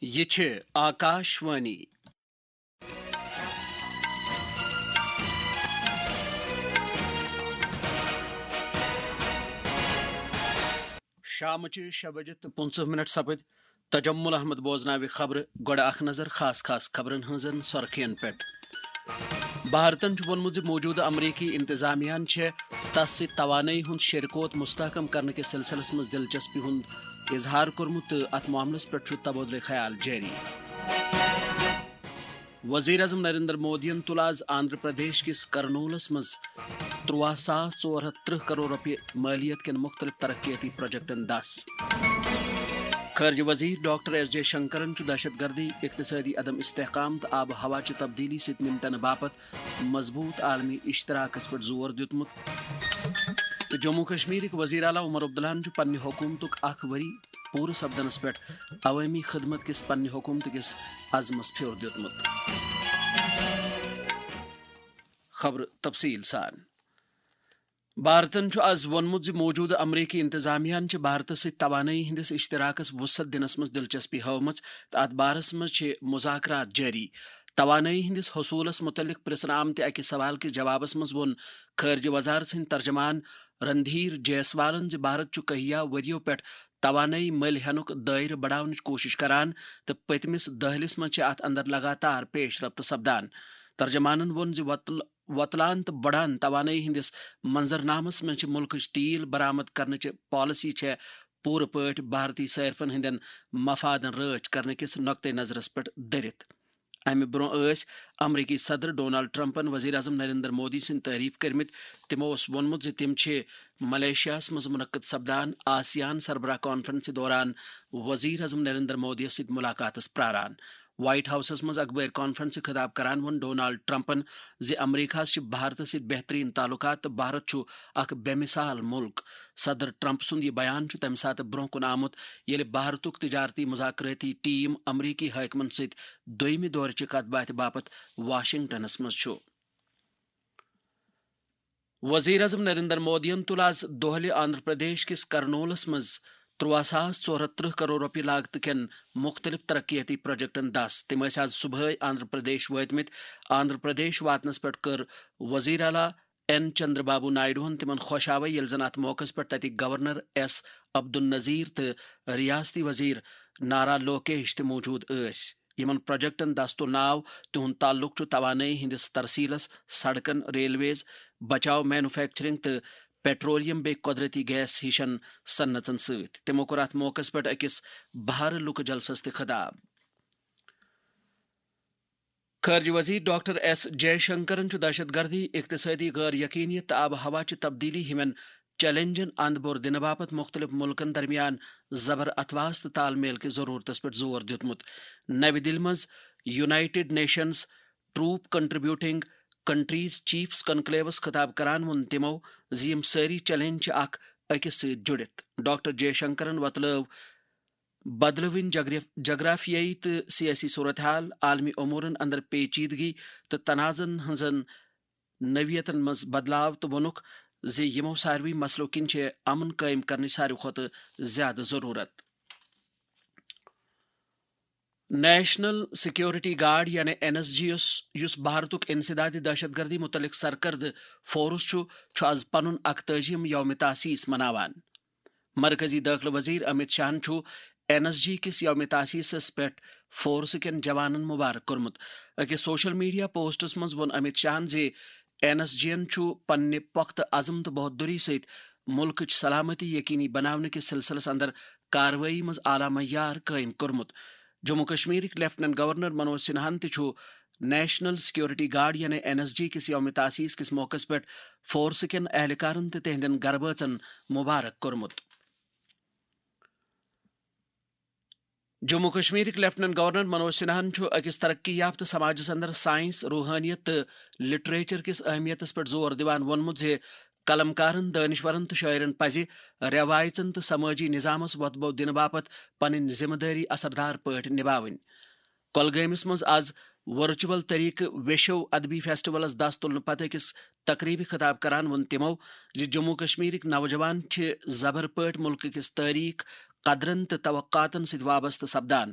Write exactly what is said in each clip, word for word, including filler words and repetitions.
یہِ چھِ آکاشوانی۔ شامچہِ شےٚ بجہِ تہٕ پٕنٛژٕہ منٹ سپٕدۍ۔ تجمل احمد بوزناوِ خبرٕ۔ گۄڈٕ اکھ نظر خاص خاص خبرن ہٕنٛزن سۄرخین پٮ۪ٹھ۔ بھارتن چھُ ووٚنمُت زِ موجودٕ امریکی انتظامیہ ہن چھےٚ تس سۭتۍ توانٲیی ہُنٛد شیرکوت مستحکم کرنہٕ کِس سلسلس منٛز دلچسپی ہُنٛد اظہار کوٚرمُت تہٕ اتھ معاملس پٮ۪ٹھ چھُ تبادلہٕ خیال جٲری۔ وزیر اعظم نریندر مودیَن تُل آز آندھرا پردیش کِس کرنولس منٛز ترٛواہ ساس ژور ہتھ ترٕٛہ کرور رۄپیہِ مٲلیت کٮ۪ن مُختٔلِف ترقیٲتی پروجیکٹن دَس۔ خارجہ وزیر ڈاکٹر ایس جے شنکرن چھُ دہشت گردی، اقتصٲدی عدم استحکام تہٕ آب و ہوا چہِ تبدیلی سۭتۍ نمٹنہٕ باپتھ مضبوط عالمی اشتراکس پٮ۪ٹھ زور دیُتمُت۔ تہٕ جموں کشمیرٕکۍ وزیر اعلیٰ عمر عبداللہن چھُ پننہِ حکوٗمتُک اکھ ؤری پوٗرٕ سپدنس پٮ۪ٹھ عوٲمی خدمت کِس پننہِ حکوٗمتہٕ کِس عزمس پھیُر دیُتمُت۔ خبرٕ تفصیٖل سان۔ بھارتن چھُ آز ووٚنمُت زِ موجودٕ امریکی انتظامیہ ہن چھِ بھارتس سۭتۍ توانٲیی ہٕنٛدِس اشتراکس وسعت دِنس منٛز دلچسپی ہٲومٕژ تہٕ اتھ بارس منٛز چھِ مذاکرات جٲری۔ توانٲیی ہٕنٛدِس حصوٗلس مُتعلق پرژھنہٕ آمتہِ اکہِ سوال کِس جوابس منٛز ووٚن خارجہ وزارت سٕنٛدۍ ترجمان رندھیر جیسوالن زِ بھارت چھُ کہیا ؤرِیو پٮ۪ٹھ توانٲیی مٔلۍ ہینُک دٲیرٕ بڑاونٕچ کوٗشش کران تہٕ پٔتمِس دٔہلِس منٛز چھِ اتھ اندر لگاتار پیش رفت سپدان۔ ترجمانن ووٚن زِ وۄتل-، وۄتلان تہٕ بڑان توانٲیی ہٕنٛدِس منظرنامس منٛز چھِ مُلکٕچ تیل برآمد کرنٕچ پالیسی چھےٚ پوٗرٕ پٲٹھۍ بھارتی صارفن ہٕنٛدٮ۪ن مفادن رٲچھ کرنہٕ کِس نقطہٕ نظرس پٮ۪ٹھ دٔرِتھ۔ امہِ برٛونٛہہ ٲسۍ امریکی صدر ڈونالڈ ٹرمپن وزیر اعظم نریندر مودی سٕنٛدۍ تعریف کٔرمٕتۍ۔ تِمو اوس ووٚنمُت زِ تِم چھِ ملیشیاہس منٛز منعقد سپدان آسیان سربراہ کانفرنسہِ دوران وزیر اعظم نریندر مودیَس سۭتۍ ملاقاتس پراران۔ وائٹ ہاؤسس منٛز اخبٲری کانفرنسہِ خطاب کران ووٚن ڈونالڈ ٹرمپن زِ امریکہس چھِ بھارتس سۭتۍ بہترین تعلقات تہٕ بھارت چھُ اکھ بے مثال مُلک۔ صدر ٹرمپ سُنٛد یہِ بیان چھُ تَمہِ ساتہٕ برٛونٛہہ کُن آمُت، ییٚلہِ بھارتُک تجارتی مذاکراتی ٹیم امریکی حٲکمن سۭتۍ دوٚیمہِ دورٕچہِ کتھ باتھِ باپتھ واشنگٹنس منٛز چھُ۔ وزیر اعظم نریندر مودیَن تُل آز دۄہلہِ آندھرا پردیش کِس کرنولس منٛز ترٛواہ ساس ژور ہتھ ترٕٛہ کرور رۄپیہِ لاگتہٕ کٮ۪ن مُختٔلِف ترقیٲتی پروجیکٹن دَس۔ تِم ٲسۍ آز صبحٲے آندھرا پردیش وٲتمٕتۍ۔ آندھرا پردیش واتنس پٮ۪ٹھ کٔر وزیر اعلیٰ این چندر بابو نائیڈوہن تِمن خۄش آوے، ییٚلہِ زن اتھ موقعس پٮ۪ٹھ تتِکۍ گورنر ایس عبدالنذیر تہٕ ریاستی وزیر نارا لوکیش تہِ موجود ٲسۍ۔ یِمن پروجیکٹن دستُک ناو تِہُنٛد تعلق چھُ توانٲیی ہٕنٛدِس ترسیلس، سڑکن، ریلویز، بچاو مینوفیکچرنگ تہٕ پیٹرولیم بیٚیہِ قۄدرٔتی گیس ہِشن صنعژن سۭتۍ۔ تِمو کوٚر اتھ موقعس پٮ۪ٹھ أکِس بہارٕ لُکہٕ جلسس تہِ خطاب۔ خارجہ وزیر ڈاکٹر ایس جے شنکرن چھُ دہشت گردی، اقتصٲدی غٲر یقینیت تہٕ آب و ہوا چہِ تبدیلی ہِوٮ۪ن چیلنجن اند بور دِنہٕ باپتھ مُختٔلِف مُلکن درمیان زبر اتھواس تہٕ تال میل کِس ضروٗرتس پٮ۪ٹھ زور دیُتمُت۔ نَوِ دِلہِ منٛز united nations troop contributing countries chiefs کنکلیوس خطاب کران ووٚن تِمو زِ یِم سٲری چیلنج چھِ اکھ أکِس سۭتۍ جُڑِتھ۔ ڈاکٹر جے شنکرن وۄتلٲو بدلوٕنۍ جغرف-، جغرافیٲیی تہٕ سیٲسی صورتحال، عالمی امورن اندر پیچیدگی تہٕ تنازعن ہٕنزن نوعیتن منٛز بدلاو تہٕ ووٚنُکھ زِ یِمو ساروٕے مسلو کِنۍ چھِ امن قٲیِم کرنٕچ ساروٕے کھۄتہٕ زیادٕ ضروٗرت۔ نیشنل سیکورٹی گارڈ یعنی این ایس جی یس، یُس بھارتُک انسدادی دہشت گردی متعلق سرکردٕ فورس چھُ، چھُ آز پنُن اکتٲجِم یوم تاسیس مناوان۔ مرکزی دٲخلہٕ وزیر امت شاہن چھُ این ایس جی کِس یوم تاسیسس پٮ۪ٹھ فورس کٮ۪ن جوانن مبارک کوٚرمُت۔ أکِس سوشل میڈیا پوسٹس منٛز ووٚن امت شاہن زِ این ایس جی ین چھُ پننہِ پۄختہٕ عزم تہٕ بہادری سۭتۍ مُلکٕچ سلامتی یقینی بناونہٕ کِس سلسلس اندر کاروٲیی منٛز اعلیٰ معیار قٲیِم کوٚرمُت۔ جموں کشمیرٕکۍ لیفٹیننٹ گورنر منوج سنہاہن تہِ چھُ نیشنل سیکورٹی گارڈ یعنی این ایس جی کِس یوم تاسیس کِس موقعس پٮ۪ٹھ فورس کٮ۪ن اہلکارن تہٕ تِہنٛدٮ۪ن گرٕ بٲژن مبارک کوٚرمُت۔ جموں کشمیرٕکۍ لیفٹیننٹ گورنر منوج سنہاہن چھُ أکِس ترقی یافتہٕ سماجس اندر سائنس، روحانیت تہٕ لٹریچر کِس اہمیتس پٮ۪ٹھ زور دِوان ووٚنمُت زِ قلم کارن، دٲنشورن تہٕ شٲعرن پزِ رٮ۪وایژن تہٕ سمٲجی نظامس وۄتھٕ بو دِنہٕ باپتھ پنٕنۍ ذمہٕ دٲری اثردار پٲٹھۍ نباوٕنۍ۔ کۄلگٲمِس منٛز آز ورچوئل طریقہٕ ویشو ادبی فیسٹیولس دَس تُلنہٕ پتہٕ أکِس تقریبہِ خطاب کران ووٚن تِمو زِ جموں کشمیرٕکۍ نوجوان چھِ زبر پٲٹھۍ مُلکہٕ کِس تٲریخ، قدرن تہٕ توقعاتن سۭتۍ وابستہٕ سپدان۔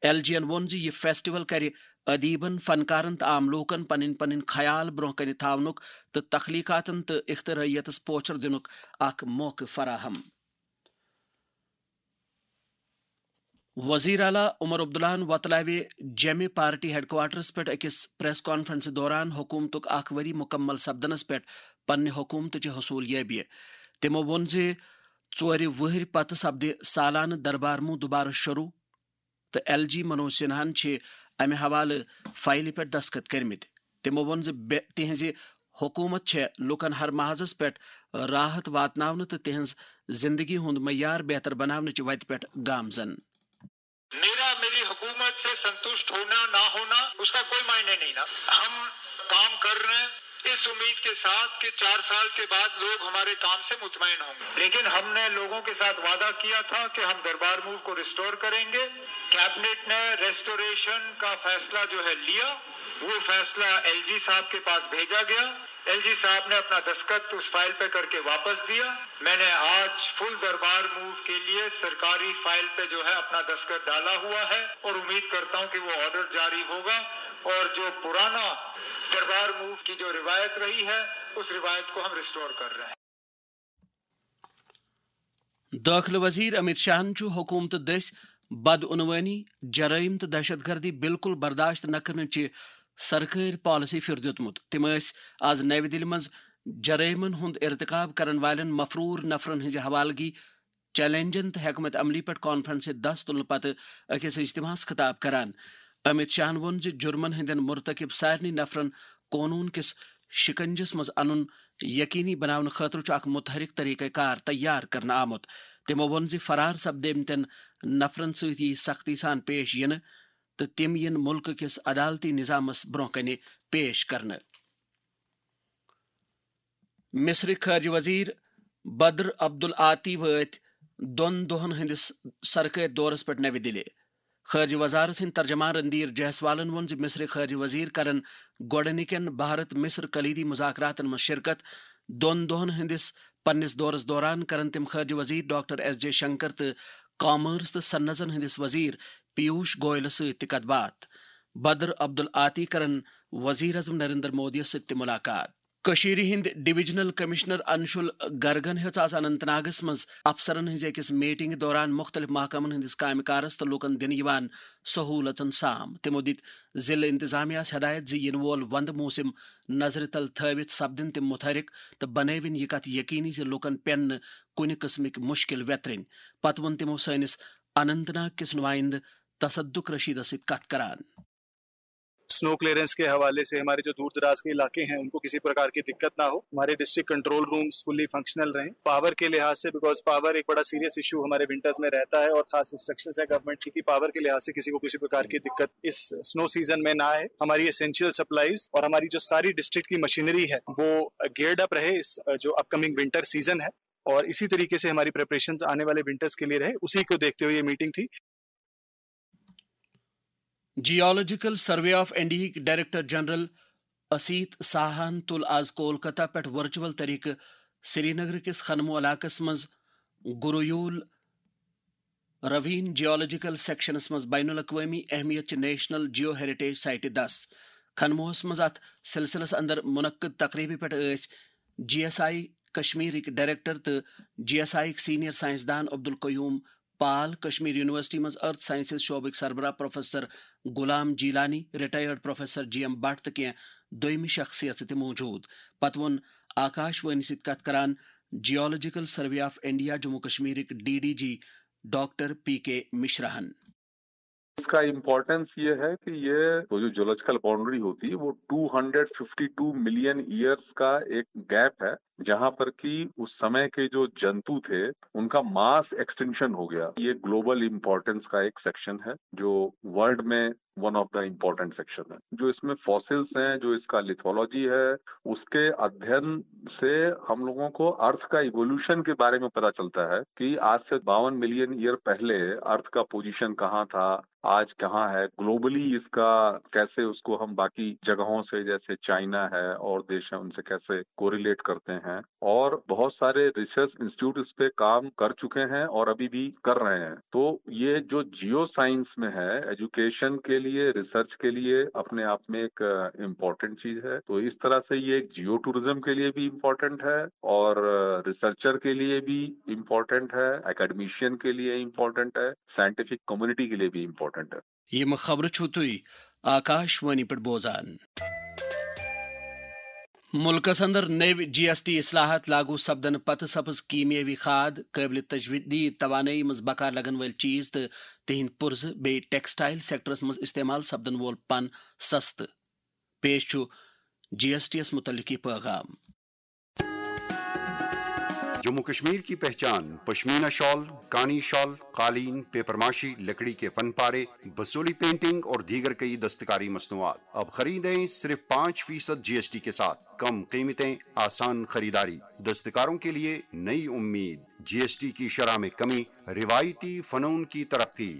ایل جی ین ووٚن زِ یہِ فیسٹیول کرِ ادیبن، فنکارن تہٕ عام لوٗکن پنٕنۍ پنٕنۍ خیال برٛونٛہہ کنہِ تھاونُک تہٕ تخلیقاتن تہٕ اختراعیتس پوچھر دِنُک اکھ موقعہٕ فراہم۔ وزیر اعلیٰ عمر عبداللہن وۄتلاوِ جیٚمہِ پارٹی ہیڈ کوارٹرس پٮ۪ٹھ أکِس پریس کانفرنسہِ دوران حکوٗمتُک اکھ ؤری مُکمل سپدنس پٮ۪ٹھ پننہِ حکوٗمتٕچہِ حصوٗل یٲبی۔ تِمو ووٚن زِ ژورِ وٕہٕرۍ پتہٕ سپدِ سالانہٕ دربار موٗ دُبارٕ شروٗع تہٕ ایل جی منوج سنہاہن چھِ امہِ حوالہٕ فایلہِ پٮ۪ٹھ دستخط کٔرمٕتۍ۔ تِمو ووٚن زِ بے-، تِہنٛزِ حکوٗمت چھےٚ لوٗکن ہر محاذس پٮ۪ٹھ راحت واتناونہٕ تہٕ تِہنٛز زندگی ہُنٛد معیار بہتر بناونٕچہِ وتہِ پٮ۪ٹھ گامزن۔ میرا میری حکومت سے سنتوشٹ ہونا نہ ہونا، اس کا کوئی معنی نہیں نا۔ ہم کام کر رہے ہیں اس امید کے ساتھ کہ چار سال کے بعد لوگ ہمارے کام سے مطمئن ہوں گے، لیکن ہم نے لوگوں کے ساتھ وعدہ کیا تھا کہ ہم دربار موو کو ریسٹور کریں گے۔ کیبنٹ نے ریسٹوریشن کا فیصلہ جو ہے لیا، وہ فیصلہ ایل جی صاحب کے پاس بھیجا گیا۔ ایل جی صاحب نے اپنا دستخط اس فائل پہ کر کے واپس دیا۔ میں نے آج فل دربار موو کے لیے سرکاری فائل پہ جو ہے اپنا دستخط ڈالا ہوا ہے اور امید کرتا ہوں کہ وہ آرڈر جاری ہوگا اور جو پرانا دربار موو کی جو روایت رہی ہے، اس روایت کو ہم ریسٹور کر رہے ہیں۔ دٲخلہٕ وزیر امیت شاہن چھُ حکوٗمتہٕ دٔسۍ بدعنوٲنی، جرٲیِم تہٕ دہشت گردی بالکل برداشت نہٕ کرنٕچہِ سرکٲرۍ پالیسی پھِر دیُتمُت۔ تِم ٲسۍ آز نَوِ دِلہِ منٛز جرٲیمن ہُنٛد ارتکاب کرن والٮ۪ن مفرور نفرن ہٕنٛزِ حوالگی، چیلنجن تہٕ حکمت عملی پٮ۪ٹھ کانفرنسہِ دس تُلنہٕ پتہٕ أکِس اجتماعس خطاب کران۔ امیت شاہن ووٚن زِ جرمن ہٕنٛدٮ۪ن مرتکب سارنٕے نفرن قونوٗن کِس شِکنجس منٛز انُن یقینی بناونہٕ خٲطرٕ چھُ اکھ متحرک طریقہ کار تیار کرنہٕ آمُت۔ تِمو ووٚن زِ فرار سپدیمتٮ۪ن نفرن سۭتۍ یِیہِ سختی سان پیش یِنہٕ تہٕ تِم یِن مُلکہٕ کِس عدالتی نظامس برٛونٛہہ کنہِ پیش کرنہٕ۔ مصرٕکۍ خارجہ وزیر بدر عبدالعاطی وٲتۍ دۄن دۄہن ہٕنٛدِس سرکٲرۍ دورس پٮ۪ٹھ نَوِ دِلہِ۔ خارجہ وزارت سٕنٛدۍ ترجمان رندیر جیسوالن ووٚن زِ مصرٕکۍ خارجہ وزیر کرن گۄڈٕنِکٮ۪ن بھارت مصر کلیدی مذاکراتن منٛز شرکت۔ دۄن دۄہن ہٕنٛدِس پننِس دورس دوران کرن تِم خارجہ وزیر ڈاکٹر ایس جے شنکر تہٕ کامرس تہٕ صنعژن ہٕنٛدِس وزیر پیوش گوئلس سۭتۍ تہِ کتھ باتھ۔ بدر عبدالعاطی کرن وزیر اعظم نریندر مودیس سۭتۍ تہِ ملاقات۔ کٔشیٖرِ ہٕنٛدۍ ڈویژنل کمشنر انشول گرگن ہیٚژ آز اننت ناگس منٛز افسرن ہٕنٛزِ أکِس میٹنگہِ دوران مُختٔلِف محکمن ہٕنٛدِس کامہِ کارس تہٕ لوٗکن دِنہٕ یِوان سہوٗلژن سام۔ تِمو دِتۍ ضلعہٕ انتظامیہ ہَس ہدایت زِ یِنہٕ وول وندٕ موسم نظرِ تل تھٲوِتھ سپدن تِم متحرک تہٕ بنٲوِن یہِ کتھ یقینی زِ لوٗکن پٮ۪ن نہٕ کُنہِ قٕسمٕکۍ مُشکِل ویترٕنۍ۔ پتہٕ ووٚن تِمو سٲنِس اننت ناگ کِس نُمایندٕ تصدق رشیدس سۭتۍ کتھ کران۔ स्नो क्लियरेंस के हवाले से हमारे जो दूर दराज के इलाके हैं, उनको किसी प्रकार की दिक्कत ना हो, हमारे district control rooms fully functional रहें। पावर के लिहाज से, बिकॉज पावर एक बड़ा सीरियस इशू हमारे विंटर्स में रहता है और खास इंस्ट्रक्शंस है गवर्नमेंट की कि पावर के लिहाज से किसी को किसी प्रकार की दिक्कत इस स्नो सीजन में ना आए। हमारी एसेंशियल सप्लाईज और हमारी जो सारी डिस्ट्रिक्ट की मशीनरी है, वो गियर्ड अप रहे इस जो अपकमिंग विंटर सीजन है, और इसी तरीके से हमारी प्रिपरेशंस आने वाले विंटर्स के लिए रहे, उसी को देखते हुए ये मीटिंग थी। جیولوجیکل سروے آف انڈیاہٕکۍ ڈائریکٹر جنرل اسیت ساہاہن تُل آز کولکتہ پٮ۪ٹھ ورچوئل طریقہٕ سری نگر کِس خنمو علاقس منٛز گرویول روین جیولوجیکل سیکشنس منٛز بین الاقوٲمی اہمیت چہِ نیشنل جیو ہیریٹیج سائٹہِ دس۔ خنموہس منٛز اتھ سلسلس اندر منعقد تقریبہِ پٮ۪ٹھ ٲسۍ جی ایس آئی کشمیرٕکۍ ڈائریکٹر تہٕ جی ایس آئی یٕکۍ سینئر سائنسدان عبدالقیوم پال، کشمیر یونیورسٹی منٛز ارتھ سائنسز شعبٕکۍ سربراہ professor Ghulam Jeelani, retired professor G M Bhat تہٕ کینٛہہ دوٚیمہِ شخصیژٕ تہِ موجود۔ پتہٕ ووٚن آکاش وانی سۭتۍ کتھ کران geological survey of India Jammu کشمیرٕکۍ D D G doctor P K مشراہن۔ اس کا امپورٹنس یہ ہے کہ یہ وہ جو جیولوجیکل باؤنڈری ہوتی ہے، وہ two hundred fifty two million years کا ایک گیپ ہے، جہاں پر کہ اس سمے کے جو جنتو تھے، ان کا ماس ایکسٹنکشن ہو گیا۔ یہ گلوبل امپورٹنس کا ایک سیکشن ہے جو ورلڈ میں ون آف دا امپورٹنٹ سیکشن ہے۔ جو اس میں فاسلز ہیں، جو اس کا لیتھولوجی ہے، اس کے ادھین سے ہم لوگوں کو ارتھ کا ایوولوشن کے بارے میں پتا چلتا ہے کہ آج سے باون ملین ایئر پہلے ارتھ کا پوزیشن کہاں تھا، آج کہاں ہے، گلوبلی اس کا کیسے، اس کو ہم باقی جگہوں سے جیسے چائنا ہے اور دیش ہیں، ان سے کیسے کوریلیٹ کرتے ہیں۔ हैं और बहुत सारे रिसर्च इंस्टीट्यूट इस पे काम कर चुके हैं और अभी भी कर रहे हैं। तो ये जो जियो साइंस में है, एजुकेशन के लिए, रिसर्च के लिए अपने आप में एक इम्पॉर्टेंट चीज है। तो इस तरह से ये जियो टूरिज्म के लिए भी इम्पॉर्टेंट है और रिसर्चर के लिए भी इम्पॉर्टेंट है, एकेडमिशियन के लिए इम्पॉर्टेंट है, साइंटिफिक कम्युनिटी के लिए भी इम्पॉर्टेंट है। یِم خبرٕ چھِو تُہۍ آکاش وانی پٮ۪ٹھ بوزان۔ مُلکَس اندر نٔوۍ جی ایس ٹی اصلاحات لاگو سپدنہٕ پتہٕ سپٕز کیمیٲوی کھاد، قٲبلِ تجدید توانٲیی منٛز بکار لگن وٲلۍ چیز تہٕ تِہنٛدۍ پُرزٕ بیٚیہِ ٹیکسٹائل سیکٹرس منٛز استعمال سپدن وول پن سستہٕ۔ پیش چھُ جی ایس ٹی یَس مُتعلِق یہِ پٲغام۔ جموں کشمیر کی پہچان پشمینہ شال، کانی شال، قالین، پیپر ماشی، لکڑی کے فن پارے، بسولی پینٹنگ اور دیگر کئی دستکاری مصنوعات۔ اب خریدیں صرف پانچ فیصد جی ایس ٹی کے ساتھ۔ کم قیمتیں، آسان خریداری، دستکاروں کے لیے نئی امید۔ جی ایس ٹی کی شرح میں کمی، روایتی فنون کی ترقی۔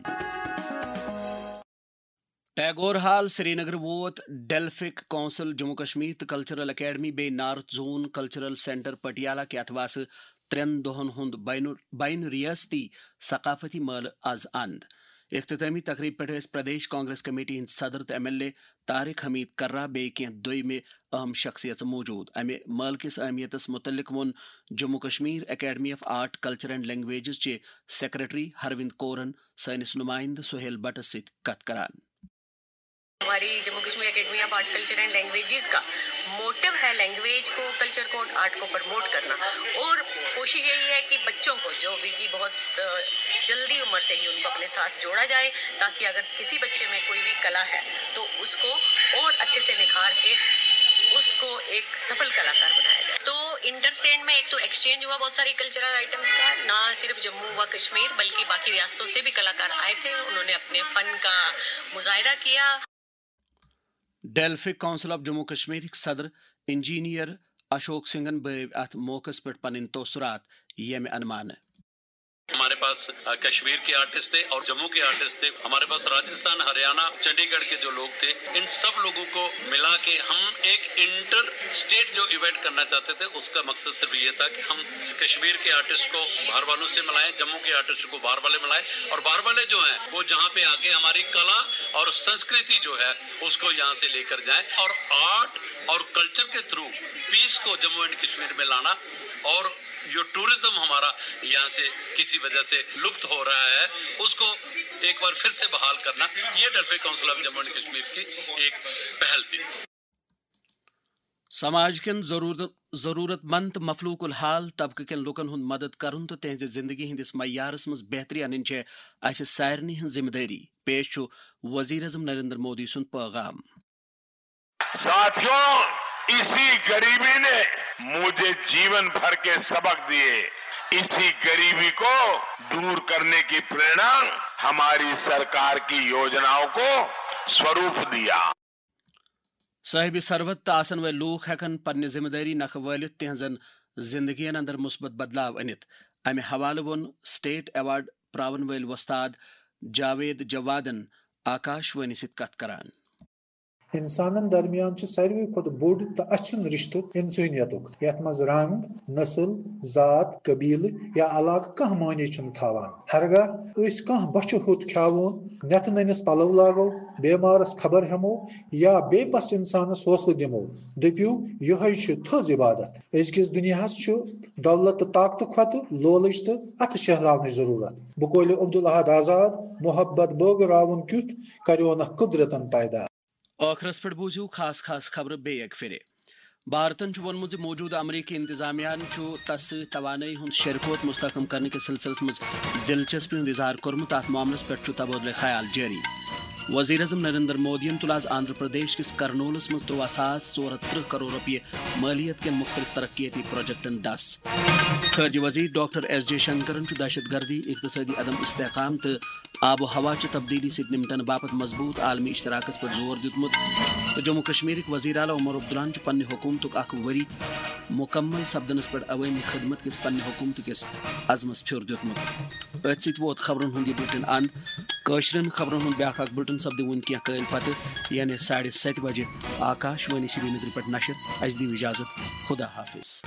ٹیگور ہال سرینگر ووت ڈیلفک کونسل جموں کشمیر تہٕ کلچرل اکیڈمی بیٚیہِ نارتھ زون کلچرل سینٹر پٹیالہ کہِ اتھواسہٕ ترٛٮ۪ن دۄہن ہُنٛد بین بین ریاستی ثقافتی مٲلہٕ از اند۔ اختتامی تقریب پٮ۪ٹھ ٲسۍ پردیش کانگریس کمیٹی ہٕنٛدۍ صدر تہٕ ایم ایل اے طارق حمید کرہ بیٚیہِ کینٛہہ دوٚیمہِ اہم شخصیژٕ موجود۔ امہِ مٲلہٕ کِس اہمیتس مُتعلق ووٚن Jammu Kashmir academy of art, culture and languages چہِ سیکرٹری ہروند کورن سٲنِس نمائندٕ سہیل بٹس سۭتۍ کتھ کران۔ ہماری Jammu Kashmir academy of art, culture and languages کا موٹو ہے لینگویج کو، کلچر کو، آرٹ کو پروموٹ کرنا، اور کوشش یہی ہے کہ بچوں کو جو ابھی کی بہت جلدی عمر سے ہی ان کو اپنے ساتھ جوڑا جائے، تاکہ اگر کسی بچے میں کوئی بھی کلا ہے تو اس کو اور اچھے سے نکھار کے اس کو ایک سفل کلاکار بنایا جائے۔ تو انٹرسٹینڈ میں ایک تو ایکسچینج ہوا بہت ساری کلچرل آئٹمس کا، نہ صرف جموں و کشمیر بلکہ باقی ریاستوں سے بھی کلاکار آئے تھے، انہوں نے اپنے فن کا مظاہرہ کیا۔ ڈیلفک کونسل آف جموں کشمیرٕکۍ صدر انجینئر اشوک سنگھن بٲوۍ اتھ موقعس پٮ۪ٹھ پنٕنۍ تٲثرات ییٚمہِ عنوانہٕ۔ ہمارے پاس کشمیر کے آرٹسٹ تھے اور جموں کے آرٹسٹ تھے، ہمارے پاس راجستھان، ہریانہ، چنڈی گڑھ کے جو لوگ تھے، ان سب لوگوں کو ملا کے ہم ایک انٹر اسٹیٹ جو ایونٹ کرنا چاہتے تھے، اس کا مقصد صرف یہ تھا کہ ہم کشمیر کے آرٹسٹ کو باہر والوں سے ملائیں، جموں کے آرٹسٹ کو باہر والے ملائیں، اور باہر والے جو ہیں وہ جہاں پہ آ کے ہماری کلا اور سنسکرتی جو ہے اس کو یہاں سے لے کر جائیں اور آرٹ اور کلچر کے تھرو پیس کو جموں اینڈ کشمیر میں لانا اور جو ٹورزم ہمارا یہاں سے کسی وجہ سے لپت ہو رہا ہے، اس کو ایک بار پھر سے بحال کرنا، یہ Delphic council of Jammu and Kashmir کی ایک پہل تھی۔ سماج کٮ۪ن ضروٗرت ضروٗرت مند تہٕ مفلوق الحال طبقہٕ کٮ۪ن لوٗکن ہُنٛد مدد کرُن تہٕ تِہنٛزِ زندگی ہٕنٛدِس معیارس منٛز بہتری انٕنۍ چھےٚ اسہِ سارنٕے ہٕنٛز ذمہٕ دٲری۔ پیش چھُ وزیر اعظم نریندر مودی سُنٛد پٲغام۔ ساتھیوں، اسی غریبی نے مجھے جیون بھر کے سبق دیے۔ اسی غریبی کو دور کرنے کی प्रेरणा ہماری سرکار کی योजनाओं کو स्वरूप दिया۔ صٲحبِ ثروت تہٕ آسن وٲلۍ لوٗکھ ہٮ۪کن پننہِ ذمہٕ دٲری نکھٕ وٲلِتھ تِہنٛزن زندگین اندر مثبت بدلاو أنِتھ۔ امہِ حوالہٕ ووٚن سٹیٹ ایوارڈ پراون وٲلۍ وۄستاد جاوید جوادن آکاش وانی سۭتۍ کتھ کران۔ انسانن درمیان چھُ ساروی کھۄتہٕ بوٚڑ تہٕ اَژھُن رشتہٕ انسٲنیتُک، یتھ منٛز رنگ، نسل، ذات، قبیلہٕ یا علاقہٕ کانٛہہ معنی چھُنہٕ تھاوان۔ ہرگاہ أسۍ کانٛہہ بۄچھِ ہوٚت کھیاوون، نٮ۪تہٕ نٔنِس پلو لاگو، بیمارس خبر ہٮ۪مو یا بے بس انسانس حوصلہٕ دِمو، دٔپِو، یِہوٚے چھُ تھٔز عبادت۔ أزکِس دُنیاہس چھُ دولت تہٕ طاقتہٕ کھۄتہٕ لولٕچ تہٕ اتھٕ شہلاونٕچ ضروٗرت۔ بقولِ عبدالاحد آزاد، محبت بٲگراوُن کیُتھ کریونکھ قدرتن پیدا۔ ٲخرس پٮ۪ٹھ بوٗزِو خاص خاص خبرٕ بیٚیہِ اَکہِ پھِرِ۔ بھارتن چھُ ووٚنمُت زِ موجودٕ امریکی انتظامیہ ہن چھُ تس سۭتۍ توانٲیی ہُنٛد شیرکوت مستحکم کرنہٕ کِس سلسلس منٛز دلچسپی ہُنٛد اظہار کوٚرمُت، تہٕ اتھ معاملس پٮ۪ٹھ چھُ تبادلہ خیال جٲری۔ وزیر اعظم نریندر مودیَن تُل آز آندھرا پردیش کِس کرنولس منٛز ترٛواہ ساس ژور ہتھ ترٕٛہ کرور رۄپیہِ مٲلیت کٮ۪ن مُختٔلِف ترقیتی پروجیکٹن ڈس۔ خارجہ وزیر ڈاکٹر ایس جے شنکرن چھُ دہشت گردی، اقتصٲدی عدم استحکام تہٕ آب و ہوا چہِ تبدیلی سۭتۍ نمٹنہٕ باپتھ مضبوط عالمی اشتراکس پٮ۪ٹھ زور دیُتمُت۔ تہٕ جموں کشمیرٕکۍ وزیر اعلیٰ عمر عبداللہن چھُ پننہِ حکوٗمتُک اکھ ؤری مُکمل سپدنس پٮ۪ٹھ عوٲمی خدمت کِس پننہِ حکوٗمتہٕ کِس عزمس پھیُر دیُتمُت۔ أتھۍ سۭتۍ ووت خبرن ہُنٛد یہِ بُلٹن اند۔ کٲشرٮ۪ن خبرن ہُنٛد بیٛاکھ اکھ بُلٹن سپدِ وُنہِ کینٛہہ کٲلۍ پتہٕ، یعنی ساڑِ ستہِ بجہِ آکاش وانی سرینگرٕ پٮ۪ٹھ نشر۔ اسہِ دِیِو اجازت۔ خدا حافظ۔